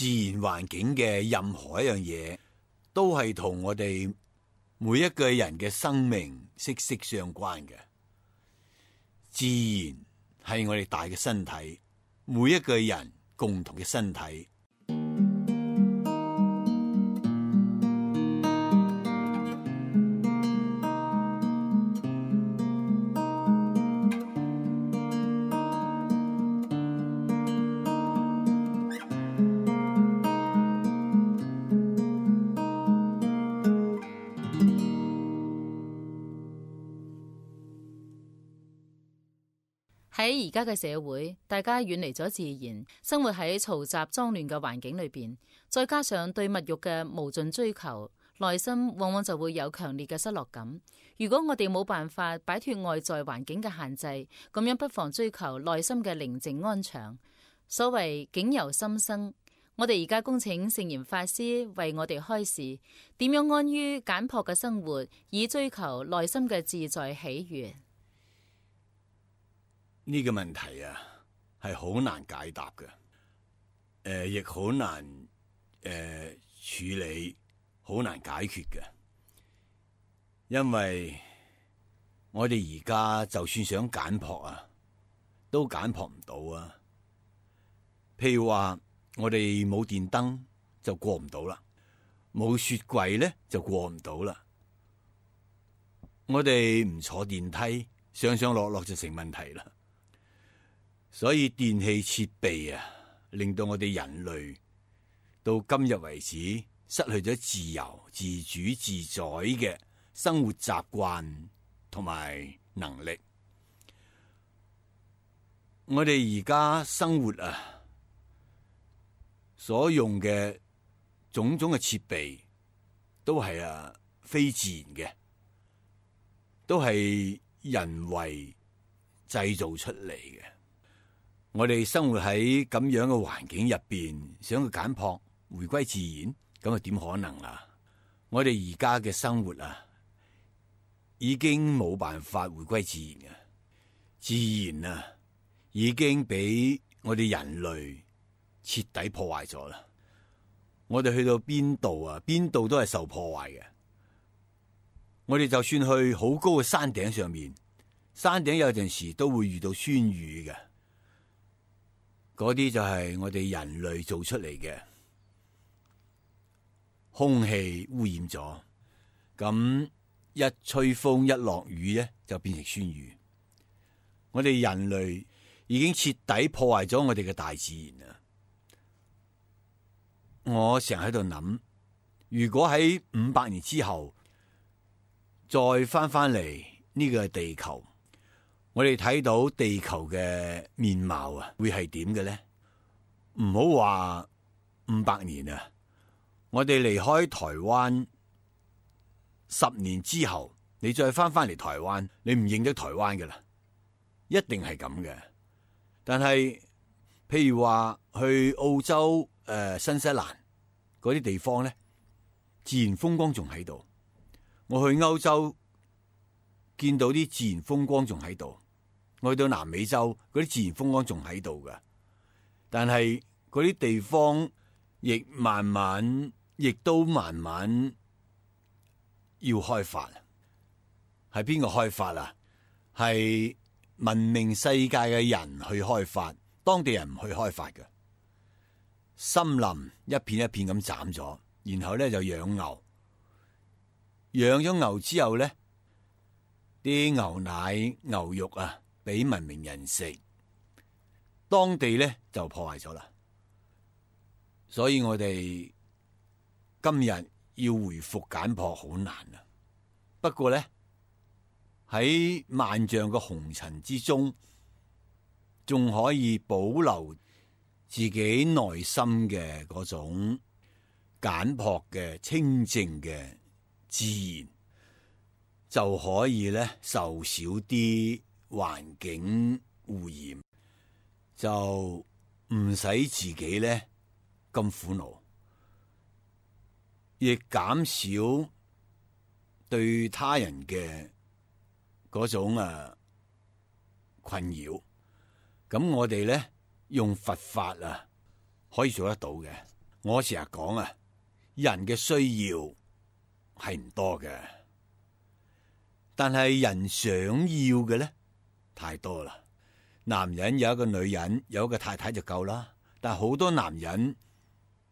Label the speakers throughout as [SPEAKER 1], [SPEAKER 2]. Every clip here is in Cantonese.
[SPEAKER 1] 自然環境嘅任何一樣嘢，都係同我哋每一個人嘅生命息息相關嘅。自然係我哋大嘅身體，每一個人共同嘅身體。
[SPEAKER 2] 喺而家嘅社會，大家遠離咗自然，生活喺嘈雜髒亂嘅環境裏邊，再加上對物欲嘅無盡追求，內心往往就會有強烈嘅失落感。如果我哋冇辦法擺脫外在環境嘅限制，咁樣不妨追求內心嘅寧靜安詳。所謂境由心生，我哋而家恭請聖嚴法師為我哋開示，點樣安於簡樸嘅生活，以追求內心嘅自在喜悅。
[SPEAKER 1] 呢個問題啊，係好難解答嘅，亦好難處理，好難解決嘅。因為我哋而家就算想簡樸啊，都簡樸唔到啊。譬如話我哋冇電燈就過唔到啦，冇雪櫃咧就過唔到啦。我哋唔坐電梯，上上落落就成問題啦。所以電器設備啊，令到我哋人類到今日為止失去咗自由、自主、自在嘅生活習慣同埋能力。我哋而家生活啊，所用嘅種種嘅設備都係非自然嘅，都係人為製造出嚟嘅。我哋生活喺咁樣嘅環境入邊，想去簡樸回歸自然，咁啊點可能啊？我哋而家嘅生活啊，已經冇辦法回歸自然嘅，自然啊已經俾我哋人類徹底破壞咗啦。我哋去到邊度啊，邊度都係受破壞嘅。我哋就算去好高嘅山頂上面，山頂有陣時都會遇到酸雨嘅。嗰啲就係我哋人類做出嚟嘅，空氣污染咗，咁一吹風一落雨咧就變成酸雨。我哋人類已經徹底破壞咗我哋嘅大自然啦。我成日喺度諗，如果喺500年之後再翻嚟呢個地球，我哋睇到地球嘅面貌啊，會係點嘅咧？唔好話500年啊，我哋離開台灣10年之後，你再翻嚟台灣，你唔認得台灣㗎啦，一定係咁嘅。但係譬如話去澳洲、新西蘭嗰啲地方咧，自然風光仲喺度。我去歐洲見到啲自然風光仲喺度。我去到南美洲，嗰啲自然風光仲喺度噶，但係嗰啲地方亦都慢慢要開發。係邊個開發啊？係文明世界嘅人去開發，當地人唔去開發嘅。森林一片一片咁斬咗，然後咧就養牛，養咗牛之後咧，啲牛奶、牛肉啊，俾文明人食，當地咧就破壞咗啦。所以我哋今日要回復簡樸好難啊。不過咧喺萬丈嘅紅塵之中，仲可以保留自己內心嘅嗰種簡樸嘅清淨嘅自然，就可以咧受少啲環境污染，就唔使自己咧咁苦惱，亦減少對他人嘅嗰種困擾。咁我哋咧用佛法可以做得到嘅。我成日講啊，人嘅需要係唔多嘅，但係人想要嘅咧太多啦。男人有一個女人，有一個太太就夠啦。但係好多男人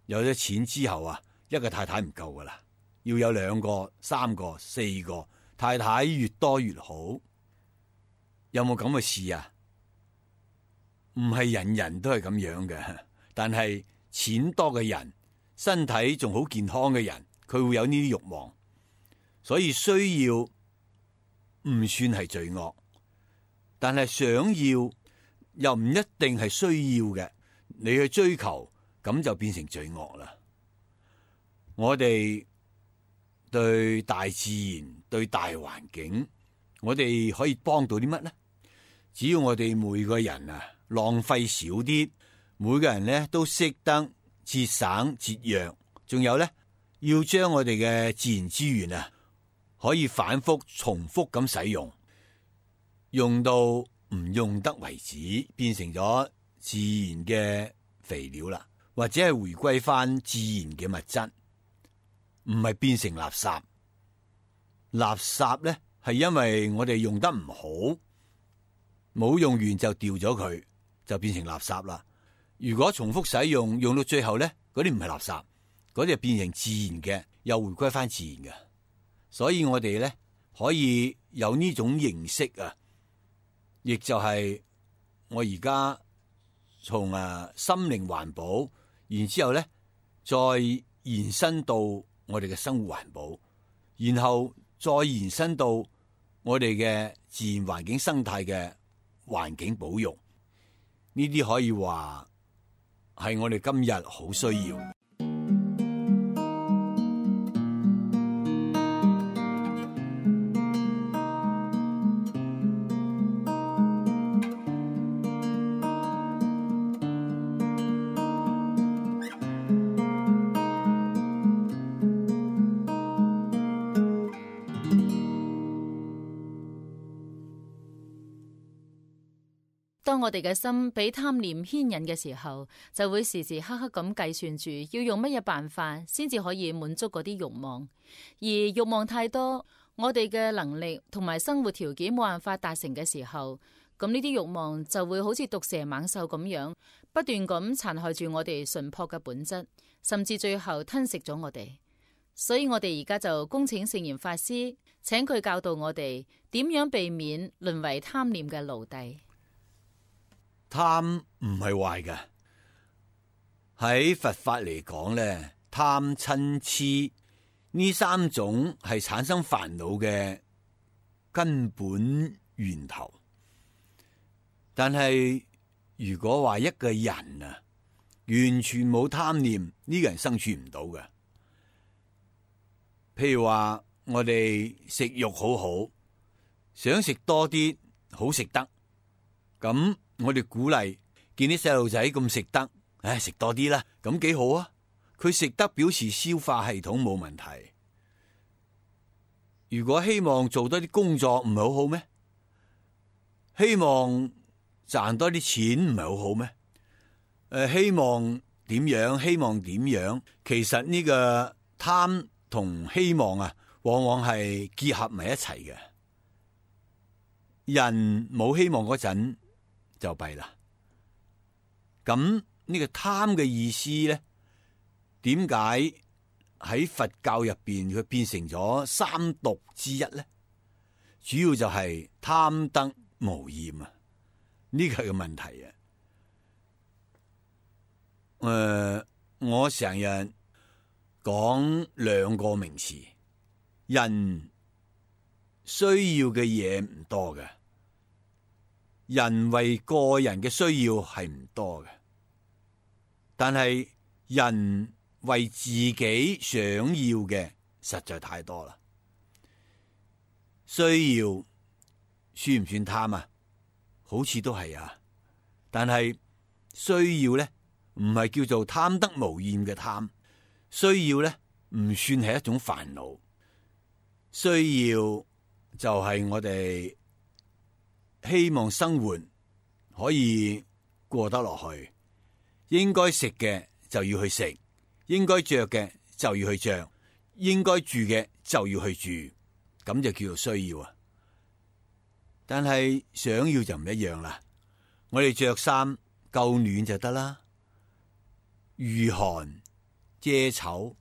[SPEAKER 1] 有咗錢之後啊，一個太太唔夠噶啦，要有2個、3個、4個太太，越多越好。有冇咁嘅事啊？唔係人人都係咁樣嘅，但係錢多嘅人，身體仲好健康嘅人，佢會有呢啲慾望，所以需要唔算係罪惡，但係想要又唔一定係需要嘅，你去追求咁就變成罪惡啦。我哋對大自然、對大環境，我哋可以幫到啲乜呢？只要我哋每個人啊浪費少啲，每個人咧都識得節省節約，仲有咧要將我哋嘅自然資源啊可以反覆重複咁使用，用到唔用得為止，變成咗自然嘅肥料啦，或者係回歸翻自然嘅物質，唔係變成垃圾。垃圾咧係因為我哋用得唔好，冇用完就掉咗佢，就變成垃圾啦。如果重複使用，用到最後咧，嗰啲唔係垃圾，嗰啲就變成自然嘅，又回歸翻自然嘅。所以我哋咧可以有呢種認識啊，亦就係我而家從心靈環保，然之後咧再延伸到我哋嘅生活環保，然後再延伸到我哋嘅自然環境生態嘅環境保育，呢啲可以話係我哋今日好需要。
[SPEAKER 2] 當我哋嘅心俾貪念牽引嘅時候，就會時時刻刻咁計算住要用乜嘢辦法先至可以滿足嗰啲慾望，而慾望太多，我哋嘅能力同埋生活條件冇辦法達成嘅時候，咁呢啲慾望就會好似毒蛇猛獸咁樣，不斷咁殘害住我哋純樸嘅本質，甚至最後吞食咗我哋。所以我哋而家就恭請聖嚴法師，請佢教導我哋點樣避免淪為貪念嘅奴隸。
[SPEAKER 1] 貪唔係壞嘅，喺佛法嚟講咧，貪嗔癡呢3種係產生煩惱嘅根本源頭。但係如果話一個人啊，完全冇貪念，呢個人生存唔到嘅。譬如話我哋食肉好好，想食多啲好食得，咁我哋鼓勵見啲細路仔咁食得，食多啲啦，咁幾好啊！佢食得表示消化系統冇問題。如果希望做多啲工作，唔係好好咩？希望賺多啲錢，唔係好好咩？希望點樣？希望點樣？其實呢個貪同希望啊，往往係結合埋一齊嘅。人冇希望嗰陣就弊啦。咁呢個貪嘅意思咧，點解喺佛教入邊佢變成咗3毒之一咧？主要就係貪得無厭啊！呢個係個問題啊。我成日講2個名詞，人需要嘅嘢唔多嘅。人為個人嘅需要係唔多嘅，但係人為自己想要嘅實在太多啦。需要算唔算貪啊？好似都係啊，但係需要咧唔係叫做貪得無厭嘅貪，需要咧唔算係一種煩惱。需要就係我哋希望生活可以過得落去，應該食嘅就要去食，應該着嘅就要去着，應該住嘅就要去住，咁就叫做需要啊。但係想要就唔一樣啦。我哋着衫夠暖就得啦，御寒遮醜，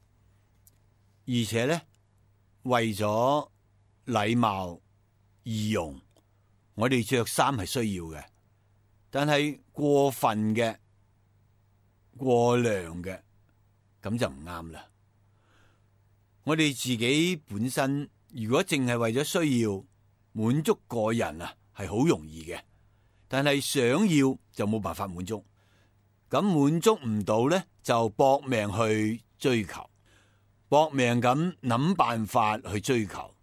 [SPEAKER 1] 而且咧為咗禮貌儀容，我哋着衫係需要嘅。但係過分嘅、過量嘅，咁就唔啱啦。我哋自己本身如果淨係為咗需要滿足個人啊，係好容易嘅。但係想要就冇辦法滿足，咁滿足唔到咧，就搏命去追求，搏命咁諗辦法去追求。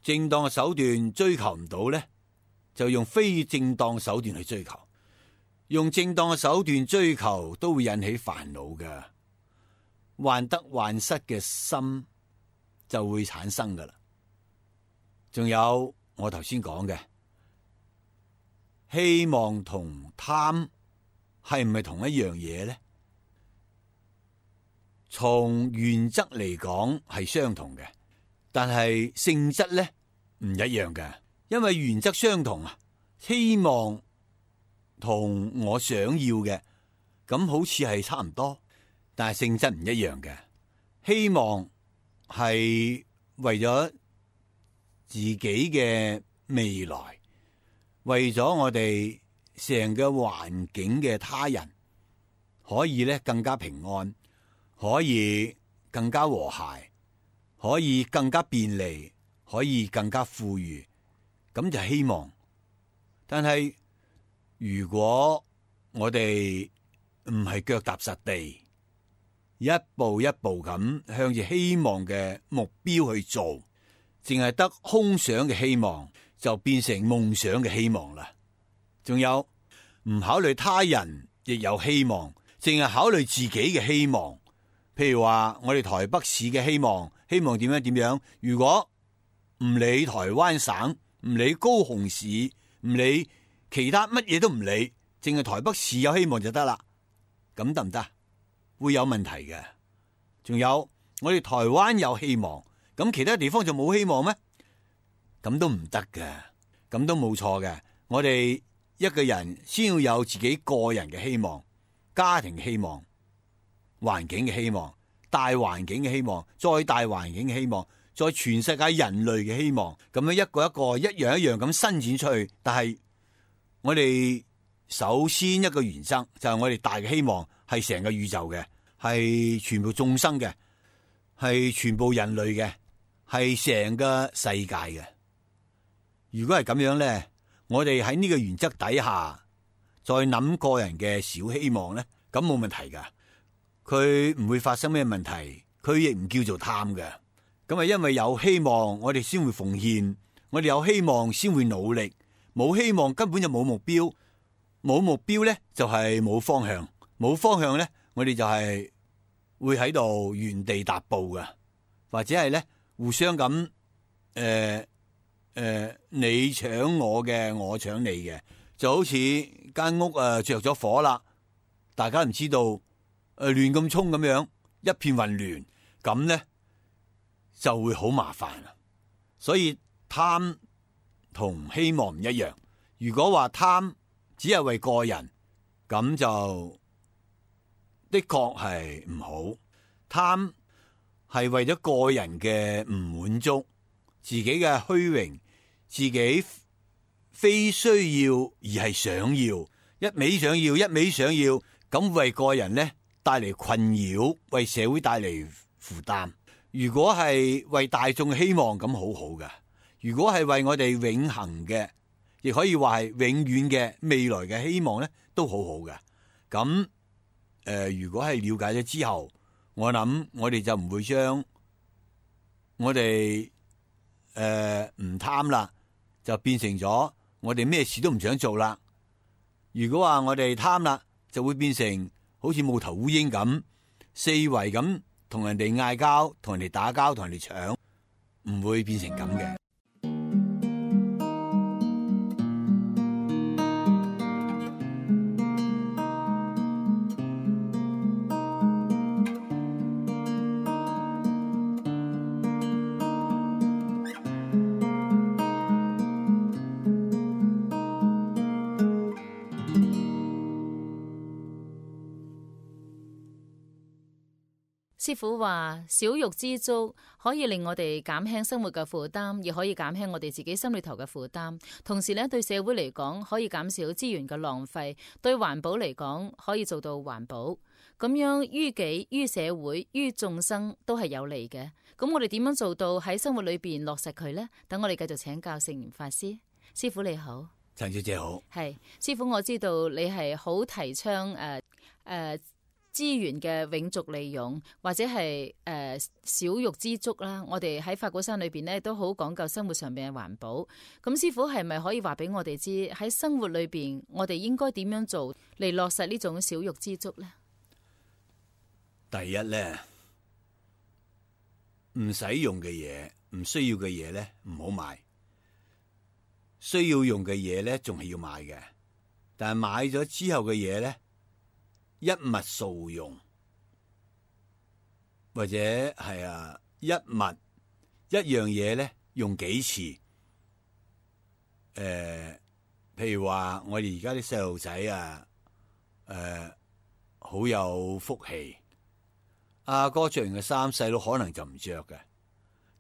[SPEAKER 1] 正當嘅手段追求唔到咧，就用非正當手段去追求。用正當嘅手段追求都會引起煩惱嘅，患得患失嘅心就會產生噶啦。仲有我頭先講嘅。希望同貪係唔係同一樣嘢呢？從原則嚟講係相同嘅，但係性質咧唔一樣嘅。因為原則相同啊，希望同我想要嘅咁好似係差唔多，但係性質唔一樣嘅。希望係為咗自己嘅未來。為咗我哋成個環境嘅他人可以咧更加平安，可以更加和諧，可以更加便利，可以更加富裕，咁就希望。但係如果我哋唔係腳踏實地，一步一步咁向住希望嘅目標去做，淨係得空想嘅希望，就變成夢想嘅希望啦。仲有唔考慮他人亦有希望，淨係考慮自己嘅希望。譬如話我哋台北市嘅希望，希望點樣點樣。如果唔理台灣省，唔理高雄市，唔理其他乜嘢都唔理，淨係台北市有希望就得啦。咁得唔得？會有問題嘅。仲有我哋台灣有希望，咁其他地方就冇希望咩？咁都唔得嘅，咁都冇錯嘅。我哋一個人先要有自己個人嘅希望，家庭嘅希望，環境嘅希望，大環境嘅希望，再大環境嘅希望，再全世界人類嘅希望，咁樣一個一個一樣一樣咁伸展出去。但係我哋首先一個原則就係我哋大嘅希望係成個宇宙嘅，係全部眾生嘅，係全部人類嘅，係成個世界嘅。如果係咁樣咧，我哋喺呢個原則底下再諗個人嘅小希望咧，咁冇問題噶，佢唔會發生咩問題，佢亦唔叫做貪嘅。咁係因為有希望，我哋先會奉獻，我哋有希望先會努力，冇希望根本就冇目標，冇目標咧就係冇方向，冇方向咧我哋就係會喺度原地踏步噶，或者係咧互相咁你搶我嘅，我搶你嘅，就好似間屋着咗火啦，大家唔知道亂咁衝咁樣，一片混亂，咁咧就會好麻煩啦。所以貪同希望唔一樣。如果話貪只係為個人，咁就的確係唔好。貪係為咗個人嘅唔滿足，自己嘅虛榮，自己非需要而係想要，一味想要，一味想要，咁為個人呢帶嚟困擾，為社會帶嚟負擔。如果係為大眾希望，咁好好嘅。如果係為我哋永恆嘅，亦可以話係永遠嘅未來嘅希望呢，都好好嘅。咁如果係了解咗之後，我諗我哋就唔會將我哋唔貪啦，就變成咗我哋咩事都唔想做啦。如果話我哋貪啦，就會變成好似無頭烏蠅咁，四圍咁同人哋嗌交，同人哋打交，同人哋搶，唔會變成咁嘅。
[SPEAKER 2] 師傅話少欲知足可以令我哋減輕生活嘅負擔，亦可以減輕我哋自己心裏頭嘅負擔。同時咧，對社會嚟講可以減少資源嘅浪費，對環保嚟講可以做到環保。咁樣於己、於社會、於眾生都係有利嘅。咁我哋點樣做到喺生活裏邊落實佢呢？等我哋繼續請教聖嚴法師。師傅你好。
[SPEAKER 1] 陳小姐好。
[SPEAKER 2] 係師傅，我知道你係好提倡資源嘅永續利用，或者係少欲知足啦。我哋喺法鼓山裏邊咧都好講究生活上邊嘅環保。咁師傅係咪可以話俾我哋知喺生活裏邊我哋應該點樣做嚟落實呢種少欲知足呢？
[SPEAKER 1] 第一咧，唔使用嘅嘢、唔需要嘅嘢咧，唔好買。需要用嘅嘢咧，仲係要買嘅。但係買咗之後嘅嘢咧，一物數用，或者係一樣嘢咧用幾次。譬如話我哋而家啲細路仔好有福氣，阿哥着完嘅衫，細佬可能就唔着嘅。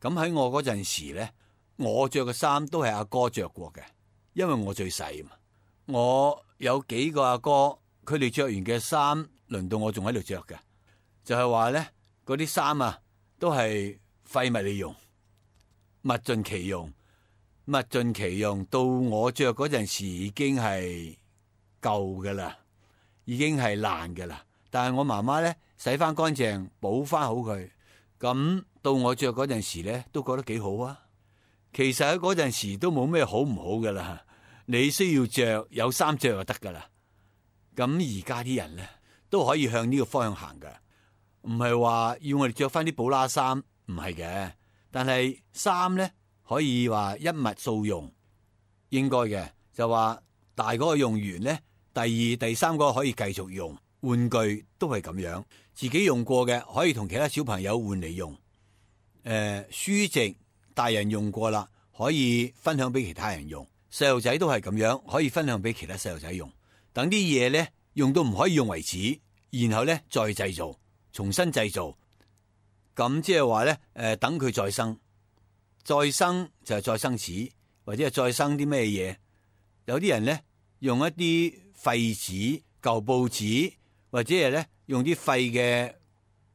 [SPEAKER 1] 咁喺我嗰陣時咧，我着嘅衫都係阿哥着過嘅，因為我最細嘛。我有幾個阿哥，佢哋着完嘅衫，輪到我仲喺度着嘅，就係話咧，嗰啲衫都係廢物利用，物盡其用，物盡其用。到我着嗰陣時已經係舊噶啦，已經係爛噶啦。但係我媽媽咧洗翻乾淨，補翻好佢。咁到我着嗰陣時咧，都覺得幾好啊。其實喺嗰陣時都冇咩好唔好噶啦。你需要着有衫着就得噶啦。咁而家啲人咧都可以向呢個方向行噶，唔係話要我哋着翻啲布拉衫，唔係嘅。但係衫咧可以話一物數用，應該嘅就話大嗰個用完咧，第二、第三個可以繼續用。玩具都係咁樣，自己用過嘅可以同其他小朋友換嚟用。書籍大人用過啦，可以分享俾其他人用。細路仔都係咁樣，可以分享俾其他細路仔用。等啲嘢咧用到唔可以用為止，然後咧再製造，重新製造。咁即係話咧，等佢再生，再生就係再生紙，或者係再生啲咩嘢？有啲人咧用一啲廢紙、舊報紙，或者係咧用啲廢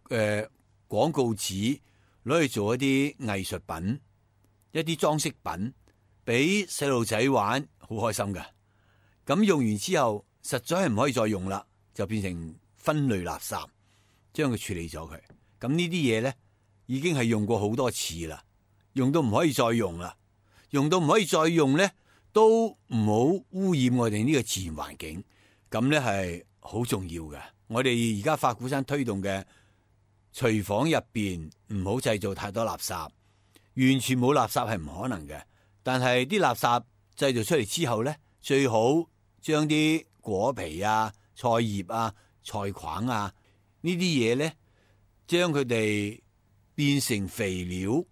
[SPEAKER 1] 嘅廣告紙攞去做一啲藝術品、一啲裝飾品，俾細路仔玩，好開心噶。咁用完之後，實在係唔可以再用啦，就變成分類垃圾，將佢處理咗佢。咁呢啲嘢咧，已經係用過好多次啦，用到唔可以再用啦，用到唔可以再用咧，都唔好污染我哋呢個自然環境。咁咧係好重要嘅。我哋而家法鼓山推動嘅廚房入邊唔好製造太多垃圾，完全冇垃圾係唔可能嘅。但係啲垃圾製造出嚟之後咧，最好將啲果皮啊、菜葉啊、菜框啊呢啲嘢咧，將佢哋變成肥料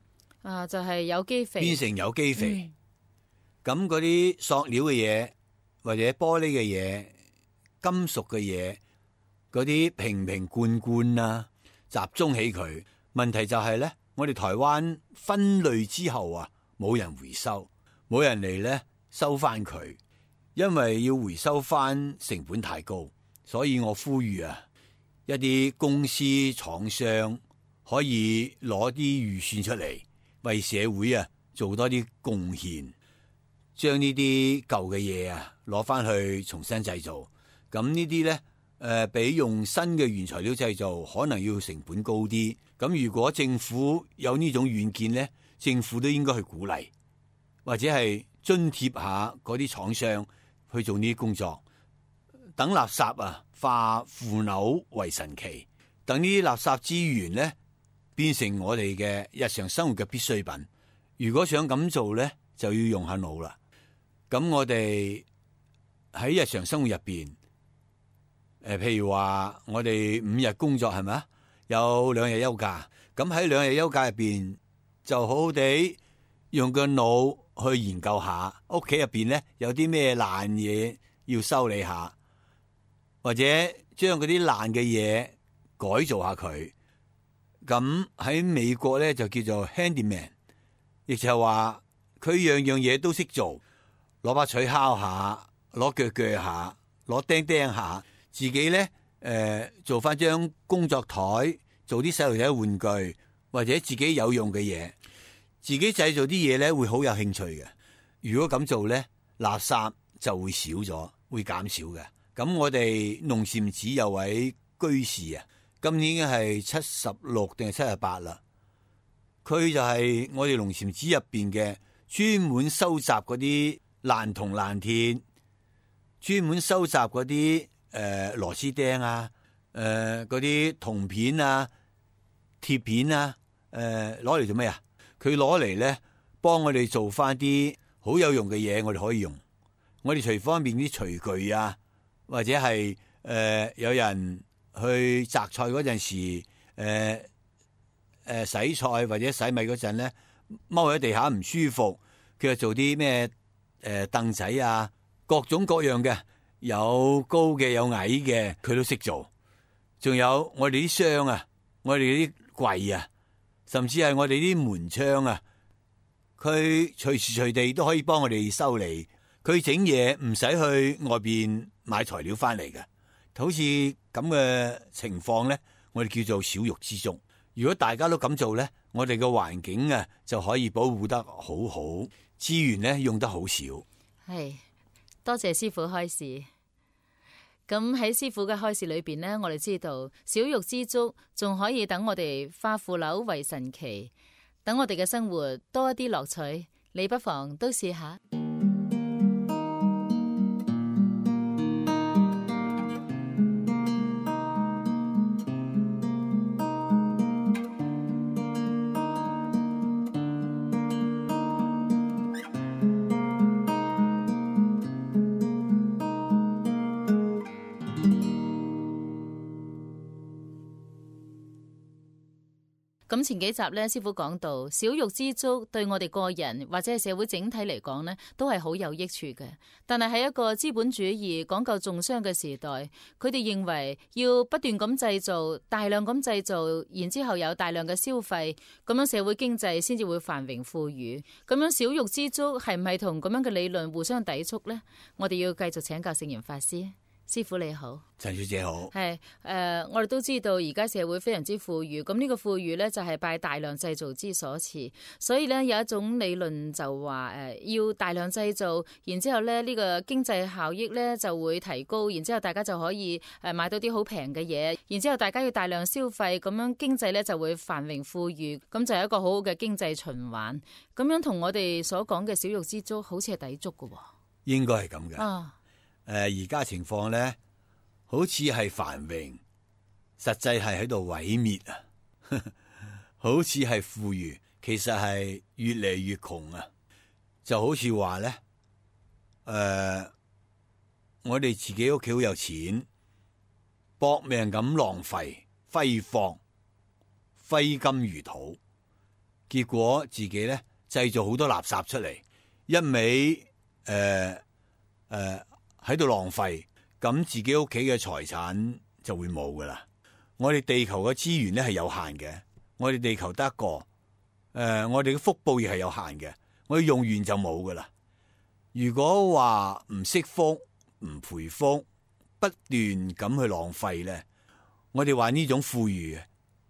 [SPEAKER 2] 就係有機肥，
[SPEAKER 1] 變成有機肥。咁嗰啲塑料嘅嘢或者玻璃嘅嘢、金屬嘅嘢，嗰啲瓶瓶罐罐啊，集中起佢。問題就係咧，我哋台灣分類之後冇人回收，冇人嚟咧收翻佢，因為要回收翻成本太高。所以我呼籲一啲公司廠商可以攞啲預算出嚟，為社會做多啲貢獻，將呢啲舊嘅嘢攞翻去重新製造。咁呢啲咧比用新嘅原材料製造可能要成本高啲。咁如果政府有呢種遠見咧，政府都應該去鼓勵，或者係津貼下嗰啲廠商去做呢啲工作。等垃圾化腐朽為神奇，等呢啲垃圾資源咧變成我哋嘅日常生活嘅必需品。如果想咁做咧，就要用下腦啦。咁我哋喺日常生活入邊，譬如話我哋5日工作係咪？有2日休假。咁喺2日休假入邊，就好好地用個腦去研究下屋企入邊咧有啲咩爛嘢要修理下，或者將嗰啲爛嘅嘢改造下佢。咁喺美國咧就叫做 handyman， 亦就係話佢樣樣嘢都識做，攞把錘敲下，攞鋸鋸下，攞釘釘下，自己咧做翻張工作台，做啲細路仔玩具或者自己有用嘅嘢，自己製造啲嘢咧會好有興趣嘅。如果咁做咧，垃圾就會少咗，會減少嘅。咁我哋龍禪寺有位居士啊，今年已經係76定係78啦。佢就係我哋龍禪寺入邊嘅專門收集嗰啲爛銅爛鐵，專門收集嗰啲螺絲釘啊，嗰啲銅片啊、鐵片啊，攞嚟做咩啊？佢攞嚟咧幫我哋做翻啲好有用嘅嘢，我哋可以用。我哋廚房入邊啲廚具啊，或者係有人去摘菜嗰陣時，洗菜或者洗米嗰陣咧，踎喺地下唔舒服，佢就做啲咩凳仔啊，各種各樣嘅，有高嘅有矮嘅，佢都識做。仲有我哋啲箱啊，我哋啲櫃啊，甚至係我哋啲門窗啊，佢隨時隨地都可以幫我哋修理。佢整嘢唔使去外邊買材料翻嚟嘅，好似咁嘅情況咧，我哋叫做小玉之足。如果大家都咁做咧，我哋嘅環境啊就可以保護得好好，資源咧用得好少。
[SPEAKER 2] 係，多謝師傅開示。咁喺師傅嘅開示裏邊呢，我哋知道小玉之足仲可以等我哋化腐朽為神奇，等我哋嘅生活多一啲樂趣。你不妨都試下。咁前幾集咧，師傅講到小玉之足對我哋個人或者係社會整體嚟講呢，都係好有益處嘅。但係喺一個資本主義講究重商嘅時代，佢哋認為要不斷咁製造，大量咁製造，然之後有大量嘅消費，咁樣社會經濟先至會繁榮富裕。咁樣小玉之足係唔係同咁樣嘅理論互相抵觸呢？我哋要繼續請教聖嚴法師。師傅你好，
[SPEAKER 1] 陳小姐好。係
[SPEAKER 2] 我哋都知道而家社會非常之富裕，咁呢個富裕呢，就係拜大量製造之所賜，所以呢，有一種理論就話要大量製造，然之後呢，呢個經濟效益呢就會提高，然之後大家就可以買到啲好平嘅嘢，然之後大家要大量消費，咁樣經濟呢就會繁榮富裕，咁就係一個好好嘅經濟循環。咁樣同我哋所講嘅小玉之足好似係抵觸嘅喎。
[SPEAKER 1] 應該係咁嘅。而家情況咧，好似係繁榮，實際係喺度毀滅啊！好似係富裕，其實係越嚟越窮啊！就好似話咧，我哋自己屋企好有錢，搏命咁浪費、揮霍、揮金如土，結果自己咧製造好多垃圾出嚟，一味喺度浪費，咁自己屋企嘅財產就會冇噶啦。我哋地球嘅資源咧係有限嘅，我哋地球得一個，我哋嘅福報亦係有限嘅，我哋用完就冇噶啦。如果話唔惜福、唔培福，不斷咁去浪費咧，我哋話呢種富裕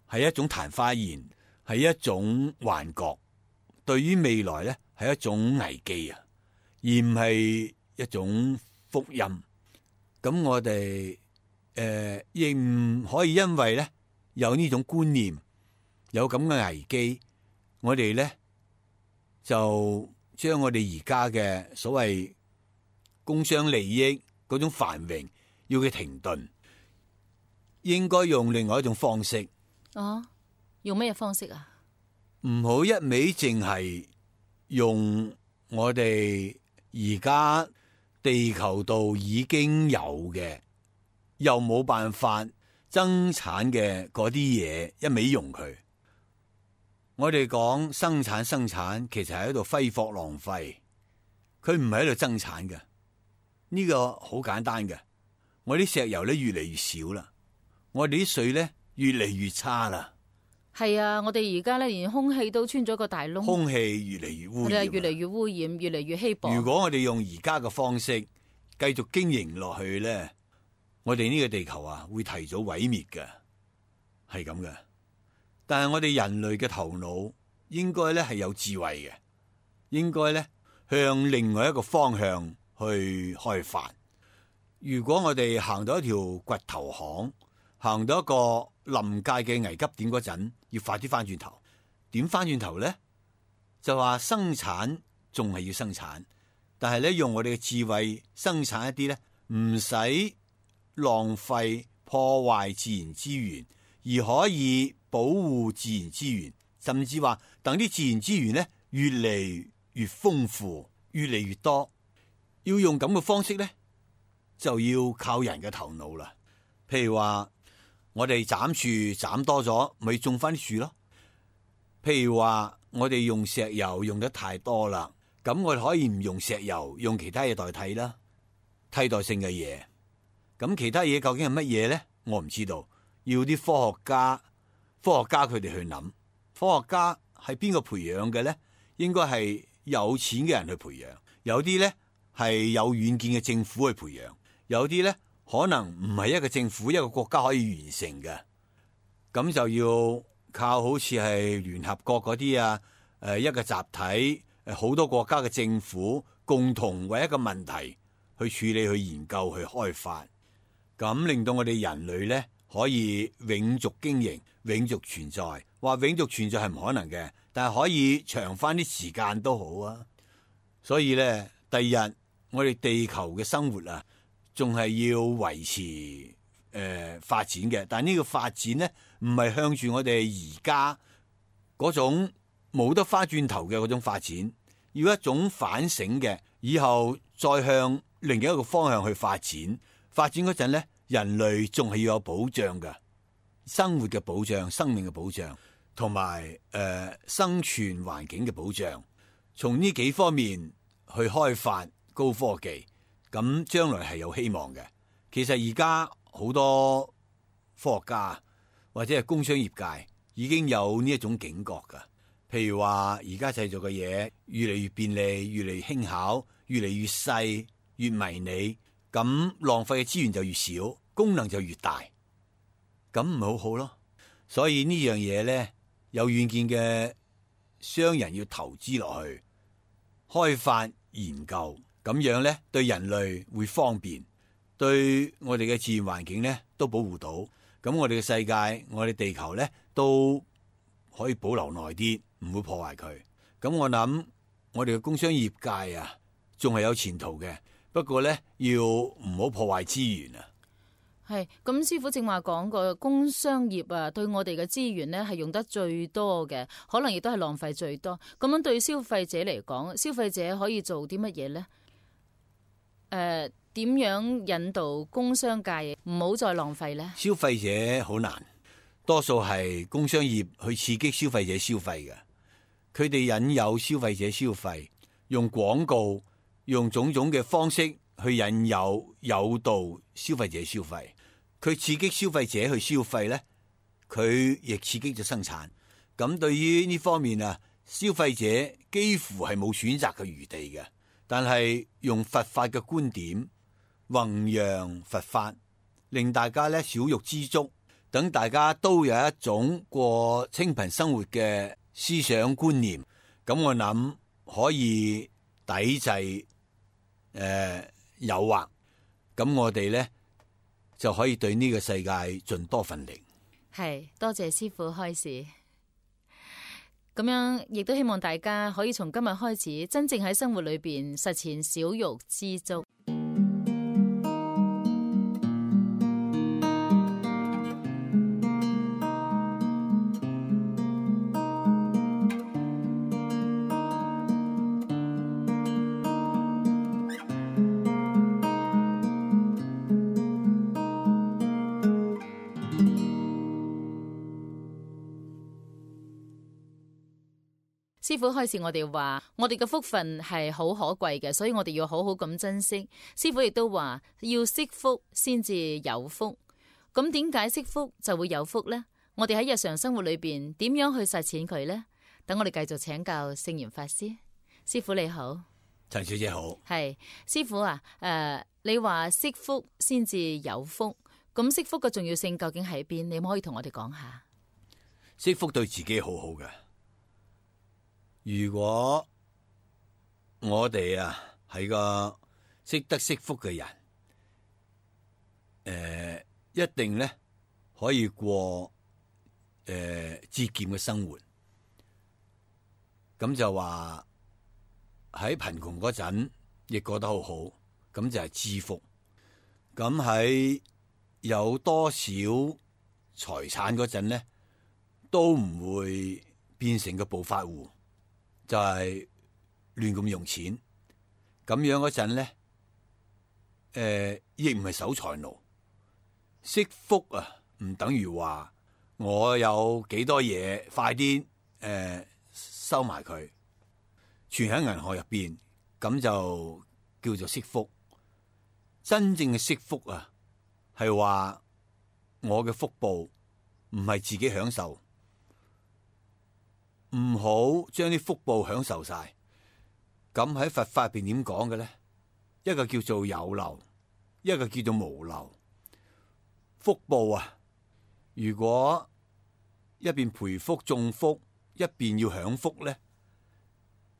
[SPEAKER 1] 係一種曇花言，係一種幻覺，對於未來咧係一種危機啊，而唔係一種福音。咁我哋亦唔可以因為咧有呢種觀念，有咁嘅危機，我哋咧就將我哋而家嘅所謂工商利益嗰種繁榮要佢停頓，應該用另外一種方式。
[SPEAKER 2] 用咩方式啊？
[SPEAKER 1] 唔好一味淨係用我哋而家地球度已經有嘅，又冇辦法增產嘅嗰啲嘢，一味用佢。我哋講生產，其實係喺度揮霍浪費，佢唔係喺度增產嘅。呢個好簡單嘅。我啲石油咧越嚟越少啦，我哋啲水咧越嚟越差啦。
[SPEAKER 2] 係啊，我哋而家咧連空氣都穿咗個大窿，
[SPEAKER 1] 空氣越嚟越污染，
[SPEAKER 2] 越嚟越污染，越嚟越稀薄。
[SPEAKER 1] 如果我哋用而家嘅方式繼續經營落去咧，我哋呢個地球啊會提早毀滅嘅，係咁嘅。但係我哋人類嘅頭腦應該咧係有智慧嘅，應該咧向另外一個方向去開發。如果我哋行到一條掘頭巷，行到一個臨界嘅危急點嗰陣，要快啲翻轉頭。點翻轉頭咧？就話生產仲係要生產，但係咧用我哋嘅智慧生產一啲咧唔使浪費破壞自然資源，而可以保護自然資源，甚至話等啲自然資源咧越嚟越豐富，越嚟越多。要用咁嘅方式咧，就要靠人嘅頭腦啦。譬如話我哋斬樹斬多咗，咪種翻啲樹咯。譬如話我哋用石油用得太多啦，咁我哋可以唔用石油，用其他嘢代替啦，替代性嘅嘢。咁其他嘢究竟係乜嘢咧？我唔知道，要啲科學家佢哋去諗。科學家係邊個培養嘅咧？應該係有錢嘅人去培養，有啲咧係有遠見嘅政府去培養，有啲咧可能唔係一個政府一個國家可以完成嘅，咁就要靠好似係聯合國嗰啲啊，一個集體，好多國家嘅政府共同為一個問題去處理、去研究、去開發，咁令到我哋人類咧可以永續經營、永續存在。話永續存在係唔可能嘅，但係可以長翻啲時間都好啊。所以咧，第二日我哋地球嘅生活啊，仲係要維持發展嘅，但係呢個發展咧唔係向住我哋而家嗰種冇得翻轉頭嘅嗰種發展，要一種反省嘅，以後再向另一個方向去發展。發展嗰陣咧，人類仲係要有保障嘅，生活嘅保障、生命嘅保障，同埋生存環境嘅保障。從呢幾方面去開發高科技，咁將來係有希望嘅。其實而家好多科學家或者係工商業界已經有呢一種警覺㗎。譬如話而家製造嘅嘢越嚟越便利，越嚟越輕巧，越嚟越細，越迷你，咁浪費嘅資源就越少，功能就越大，咁唔係好好咯。所以呢樣嘢咧，有遠見嘅商人要投資落去開發研究，咁樣咧對人類會方便，對我哋嘅自然環境咧都保護到，咁我哋嘅世界，我哋地球咧都可以保留耐啲，唔會破壞佢。咁我諗我哋嘅工商業界啊，仲係有前途嘅，不過咧要唔好破壞資源啊。
[SPEAKER 2] 係咁，師傅正話講過，工商業啊，對我哋嘅資源呢係用得最多嘅，可能亦都係浪費最多。咁樣對消費者嚟講，消費者可以做啲乜嘢呢？點樣引導工商界唔好再浪費呢？
[SPEAKER 1] 消費者好難，多數係工商業去刺激消費者消費嘅，佢哋引誘消費者消費，用廣告，用種種嘅方式去引誘誘導消費者消費。佢刺激消費者去消費咧，佢亦刺激咗生產。咁對於呢方面啊，消費者幾乎係冇選擇嘅餘地嘅。但係用佛法嘅觀點弘揚佛法，令大家咧少欲知足，等大家都有一種過清貧生活嘅思想觀念。咁我諗可以抵制誘惑。咁我哋咧就可以對呢個世界盡多份力。
[SPEAKER 2] 係，多謝師父開示。咁樣亦都希望大家可以從今日開始，真正喺生活裏邊實踐少欲知足。師父開始我哋話，我哋嘅福分係好可貴嘅，所以我哋要好好咁珍惜。師父亦都話，要惜福先至有福。咁點解惜福就會有福呢？我哋喺日常生活裏邊點樣去實踐佢呢？等我哋繼續請教聖嚴法師。師父你好。
[SPEAKER 1] 陳小姐好。
[SPEAKER 2] 係師父啊，你話惜福先至有福，咁惜福嘅重要性究竟喺邊？你可以同我哋講下。
[SPEAKER 1] 惜福對自己好好嘅。如果我哋啊係個識得惜福嘅人，一定咧可以過節儉嘅生活。咁就話喺貧窮嗰陣亦過得好好，咁就係知福。咁喺有多少財產嗰陣咧，都唔會變成個暴發戶，就係亂咁用錢。咁樣嗰陣咧，亦唔係守財奴。惜福啊，唔等於話我有幾多嘢，快啲收埋佢，存喺銀行入邊，咁就叫做惜福。真正嘅惜福啊，係話我嘅福報唔係自己享受，唔好將啲福報享受晒。咁喺佛法入邊點講嘅咧？一個叫做有漏，一個叫做無漏。福報啊，如果一邊培福種福，一邊要享福咧，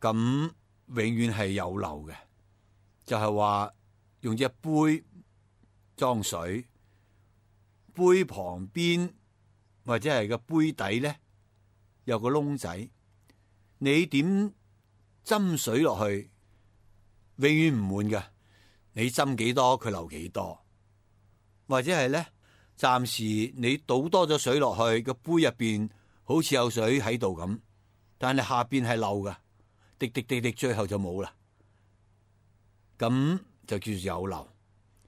[SPEAKER 1] 咁永遠係有漏嘅。就係話用隻杯裝水，杯旁邊或者係個杯底咧有個窿仔，你點斟水落去，永遠唔滿㗎。你斟幾多，佢流幾多，或者係咧，暫時你倒多咗水落去個杯入邊，好似有水喺度咁，但係下邊係漏噶，滴滴滴滴，最後就冇啦。咁就叫做有漏。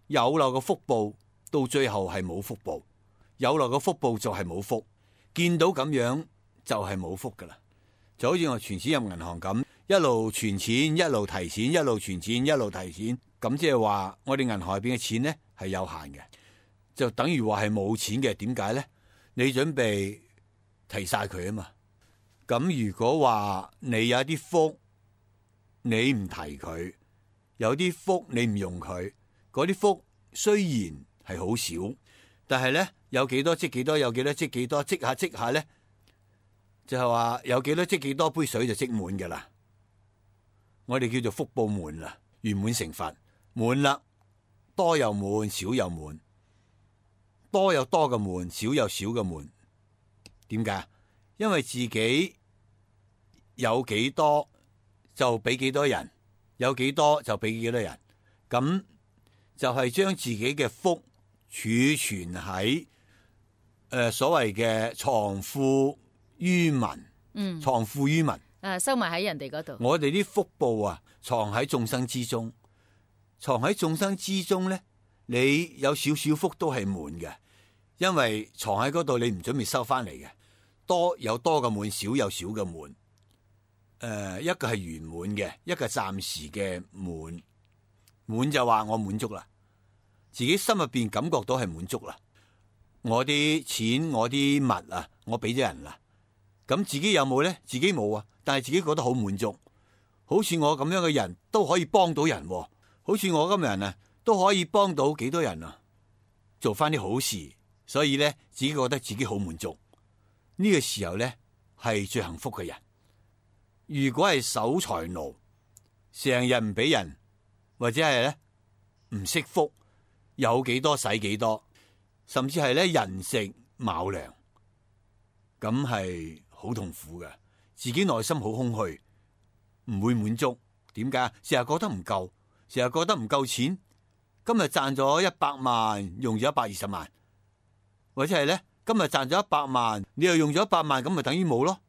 [SPEAKER 1] 有漏嘅福報到最後係冇福報，有漏嘅福報就係冇福。見到咁樣就係冇福噶啦。就好似我存錢入銀行咁，一路存錢，一路提錢，一路存錢，一路提錢。咁即係話我哋銀行入邊嘅錢咧係有限嘅，就等於話係冇錢嘅。點解咧？你準備提晒佢啊嘛。咁如果話你有一啲福，你唔提佢，有啲福你唔用佢，嗰啲福雖然係好少，但係咧有幾多積幾多，有幾多積幾多，積下積下咧，就係話有幾多積幾多杯水就積滿㗎啦。我哋叫做福報滿啦，圓滿成佛。滿啦，多又滿，少又滿，多有多嘅滿，少有少嘅滿。點解？因為自己有幾多就俾幾多人，有幾多就俾幾多人，咁就係將自己嘅福儲存喺所謂嘅藏富於民，藏富於民，
[SPEAKER 2] 收埋喺人哋嗰度。
[SPEAKER 1] 我哋啲福報啊，藏喺眾生之中。藏喺眾生之中咧，你有少少福都係滿嘅，因為藏喺嗰度，你唔準備收翻嚟嘅。多有多嘅滿，少有少嘅滿。一個係圓滿嘅，一個暫時嘅滿。滿就話我滿足啦，自己心入邊感覺到係滿足啦。我啲錢，我啲物啊，我俾咗人啦。咁自己有冇咧？自己冇啊，但係自己覺得好滿足。好似我咁樣嘅人都可以幫到人喎。好似我咁嘅人啊，都可以幫到幾多人啊，做翻啲好事，所以咧自己覺得自己好滿足。呢個時候咧係最幸福嘅人。如果係守財奴，成日唔俾人，或者係咧唔惜福，有幾多使幾多，甚至係咧人食卯糧，咁係好痛苦嘅，自己內心好空虛，唔會滿足。點解？成日覺得唔夠。成日覺得唔夠錢，今日賺咗100萬，用咗120萬，或者係咧今日賺咗100萬，你又用咗100萬，咁咪等於冇咯？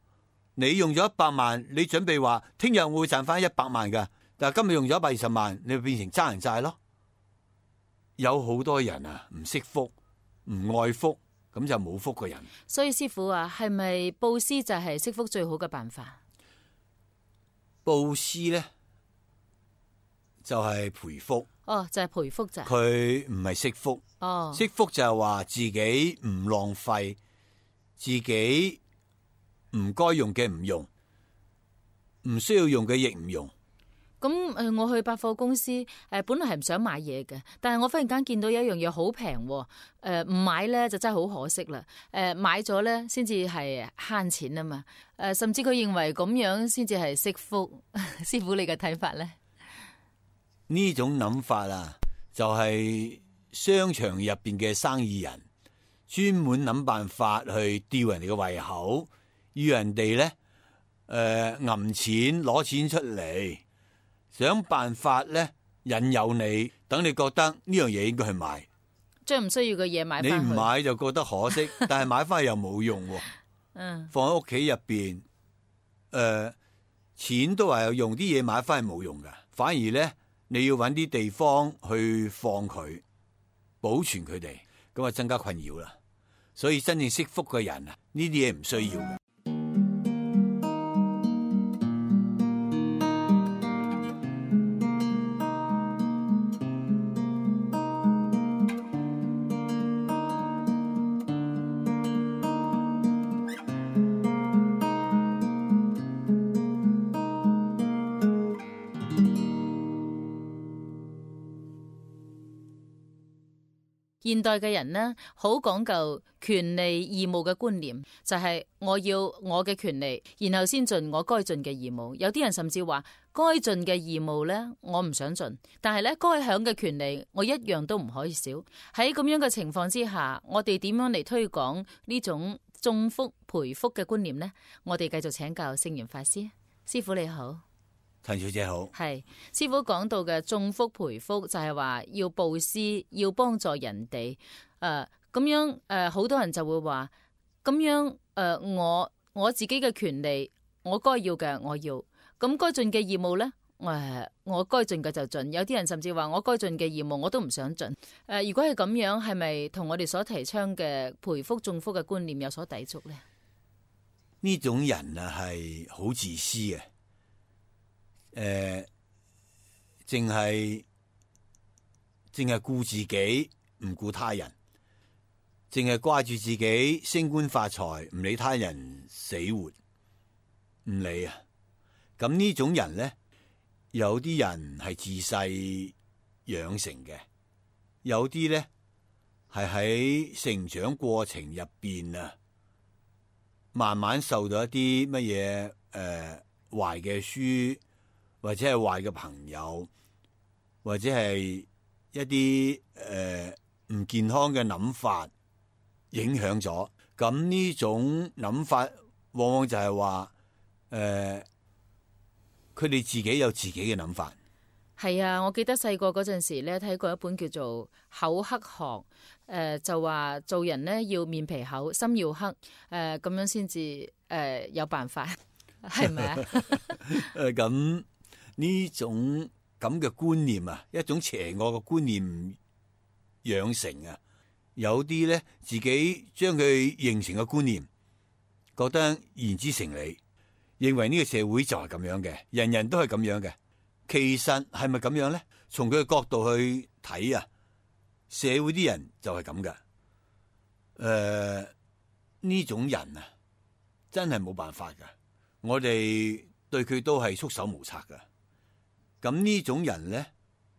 [SPEAKER 1] 你用咗100萬，你準備話聽日我會賺翻100萬噶，但係今日用咗120萬，你就變成爭人債咯。有好多人啊，唔識福，唔愛福，咁就冇福嘅人。
[SPEAKER 2] 所以師父啊，係咪布施就係惜福最好嘅辦法？
[SPEAKER 1] 布施咧？就係培福，
[SPEAKER 2] 就係培福咋？
[SPEAKER 1] 佢唔係惜福，惜福就係話自己唔浪費，自己唔該用嘅唔用，唔需要用嘅亦唔用。
[SPEAKER 2] 咁我去百貨公司本來係唔想買嘢嘅，但係我忽然間見到有一樣嘢好平，唔買咧就真係好可惜啦。買咗咧先至係慳錢啊嘛。甚至佢認為咁樣先至係惜福。師傅你嘅睇法咧？
[SPEAKER 1] 呢種諗法啊，就係商場入邊嘅生意人專門諗辦法去吊人哋嘅胃口，要人哋咧揞錢攞錢出嚟。想辦法咧引誘你，等你覺得呢樣嘢應該去買，
[SPEAKER 2] 將唔需要嘅嘢買翻去。
[SPEAKER 1] 你唔買就覺得可惜，但係買翻去又冇用喎。放喺屋企入邊，錢都話有用，啲嘢買翻去冇用噶，反而咧你要搵啲地方去放佢，保存佢哋，咁啊增加困擾啦。所以真正惜福嘅人啊，呢啲嘢唔需要嘅。
[SPEAKER 2] 現代嘅人呢，好講究權利義務嘅觀念，就係我要我嘅權利，然後先盡我該盡嘅義務。有啲人甚至話該盡嘅義務呢，我唔想盡，但係呢該享嘅權利，我一樣都唔可以少。喺咁樣嘅情況之下，我哋點樣嚟推廣呢種種福培福嘅觀念呢？我哋繼續請教聖嚴法師。師傅你好。
[SPEAKER 1] 陳小姐好。
[SPEAKER 2] 係師傅講到嘅種福培福，就係話要布施，要幫助人哋。咁樣好多人就會話咁樣我自己嘅權利，我該要嘅我要，咁該盡嘅義務呢，我該盡嘅就盡。有啲人甚至話我該盡嘅義務我都唔想盡。如果係咁樣，係咪同我哋所提倡嘅培福種福嘅觀念有所抵觸呢？
[SPEAKER 1] 呢種人啊係好自私嘅。淨係顧自己，唔顧他人，淨係掛住自己升官發財，唔理他人死活，唔理啊！咁呢種人咧，有啲人係自細養成嘅，有啲咧係喺成長過程入邊啊，慢慢受到一啲乜嘢壞嘅書。或者係壞嘅朋友，或者係一啲唔健康嘅諗法影響咗，咁呢種諗法往往就係話佢哋自己有自己嘅諗法。
[SPEAKER 2] 係啊，我記得細個嗰陣時咧睇過一本叫做《厚黑學》，就話做人咧要面皮厚，心要黑，咁樣先至有辦法，係咪啊？
[SPEAKER 1] 咁。呢種咁嘅觀念啊，一種邪惡嘅觀念養成啊，有啲咧自己將佢形成嘅觀念，覺得言之成理，認為呢個社會就係咁樣嘅，人人都係咁樣嘅。其實係咪咁樣咧？從佢嘅角度去睇啊，社會啲人就係咁嘅。呢種人啊，真係冇辦法噶，我哋對佢都係束手無策噶。咁呢種人咧，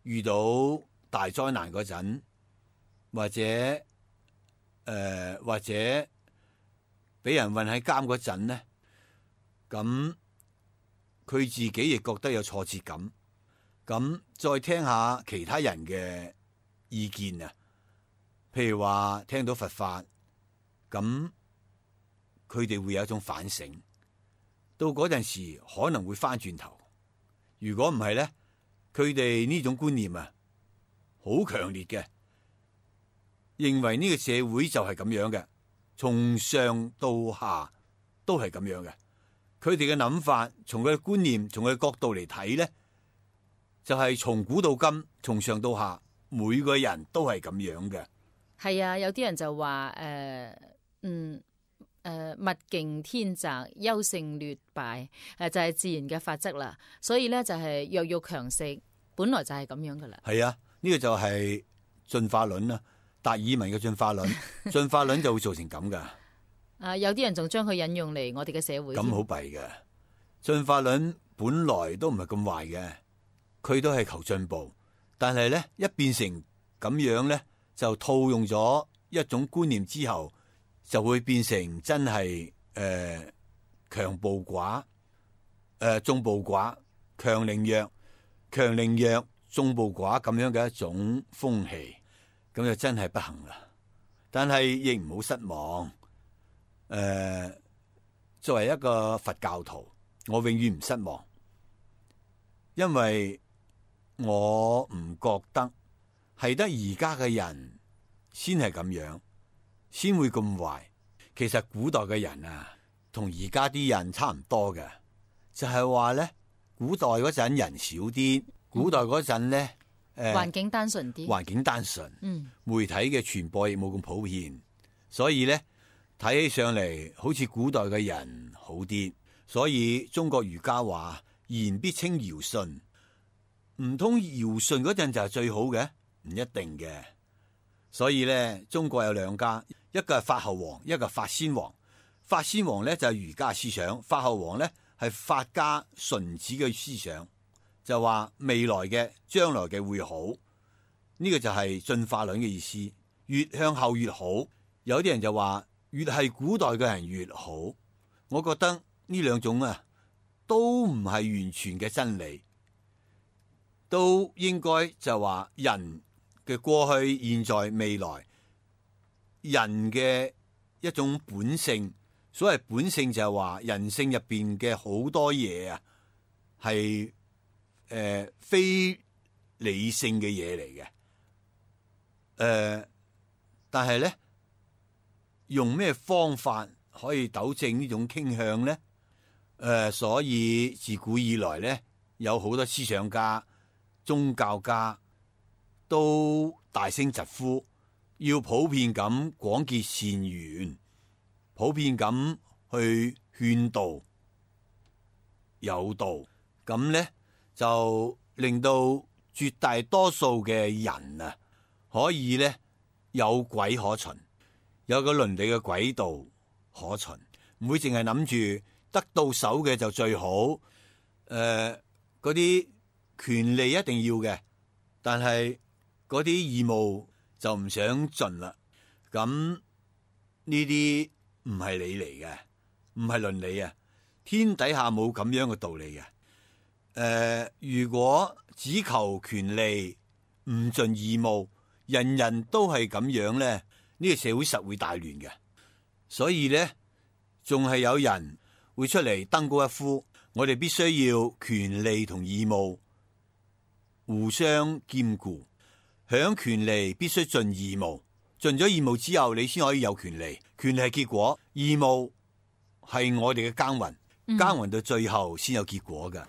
[SPEAKER 1] 遇到大災難嗰陣，或者俾人運喺監嗰陣咧，咁佢自己亦覺得有挫折感。咁再聽下其他人嘅意見啊，譬如話聽到佛法，咁佢哋會有一種反省，到嗰陣時可能會翻轉頭。如果唔係咧，佢哋呢種觀念啊，好強烈嘅，認為呢個社會就係咁樣嘅，從上到下都係咁樣嘅。佢哋嘅諗法，從佢嘅觀念，從佢嘅角度嚟睇咧，就係從古到今，從上到下，每個人都係咁樣嘅。
[SPEAKER 2] 係啊，有啲人就話物競天擇，優勝劣敗，就係自然嘅法則啦。所以咧就係弱肉強食，本來就係咁樣噶啦。
[SPEAKER 1] 係啊，呢個就係進化論啦，達爾文嘅進化論，進化論就會造成咁噶。
[SPEAKER 2] 有啲人仲將佢引用嚟我哋嘅社會。
[SPEAKER 1] 咁好弊嘅，進化論本來都唔係咁壞嘅，佢都係求進步，但係咧一變成咁樣咧，就套用咗一種觀念之後，就會變成真係強暴寡，眾暴寡，強凌弱，強凌弱，眾暴寡咁樣嘅一種風氣，咁就真係不行啦。但係亦唔好失望。作為一個佛教徒，我永遠唔失望，因為我唔覺得係得而家嘅人先係咁樣，先會咁壞。其實古代嘅人啊，同而家啲人差唔多嘅，就係話咧，古代嗰陣人少啲，古代嗰陣咧，
[SPEAKER 2] 環境單純啲，
[SPEAKER 1] 環境單純，媒體嘅傳播亦冇咁普遍，所以咧睇起上嚟好似古代嘅人好啲。所以中國儒家話言必稱堯舜，唔通堯舜嗰陣就係最好嘅？唔一定嘅。所以咧，中國有兩家，一個係法後王，一個係法先王。法先王咧就係儒家思想，法後王咧係法家荀子嘅思想，就話未來嘅將來嘅會好。呢個就係進化論嘅意思，越向後越好。有啲人就話越係古代嘅人越好。我覺得呢兩種啊都唔係完全嘅真理，都應該就話人嘅過去、現在、未來，人嘅一種本性。所謂本性就係話人性入邊嘅好多嘢啊，係非理性嘅嘢嚟嘅。但係咧，用咩方法可以糾正呢種傾向咧？所以自古以來咧，有好多思想家、宗教家都大聲疾呼，要普遍咁廣結善緣，普遍咁去勸導有道，咁咧就令到絕大多數嘅人啊，可以咧有軌可循，有個倫理嘅軌道可循，唔會淨係諗住得到手嘅就最好。嗰啲權利一定要嘅，但係嗰啲義務就唔想盡啦。咁呢啲唔係理嚟嘅，唔係倫理啊！天底下冇咁樣嘅道理嘅。如果只求權利唔盡義務，人人都係咁樣咧，呢個社會實會大亂嘅。所以咧，仲係有人會出嚟登高一呼，我哋必須要權利同義務互相兼顧，享權利必須盡義務，盡咗義務之後，你先可以有權利。權利係結果，義務係我哋嘅耕耘，耕耘到最後先有結果㗎。